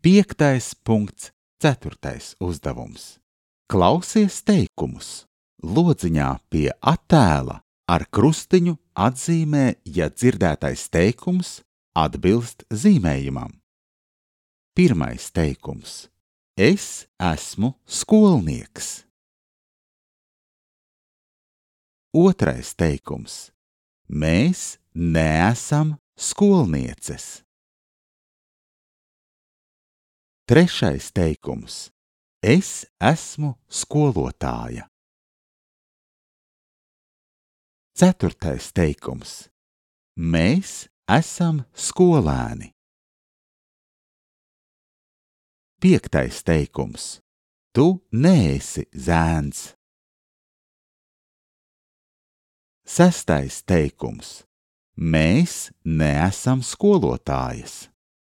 5.4. uzdevums. Klausies teikumus. Lodziņā pie attēla ar krustiņu atzīmē, ja dzirdētais teikums atbilst zīmējumam. Pirmais teikums. Es esmu skolnieks. Otrais teikums. Mēs neesam skolnieces. Trešais teikums. Es esmu skolotāja. Ceturtais teikums. Mēs esam skolēni. Piektais teikums. Tu neesi zēns. Sestais teikums. Mēs neesam skolotājas.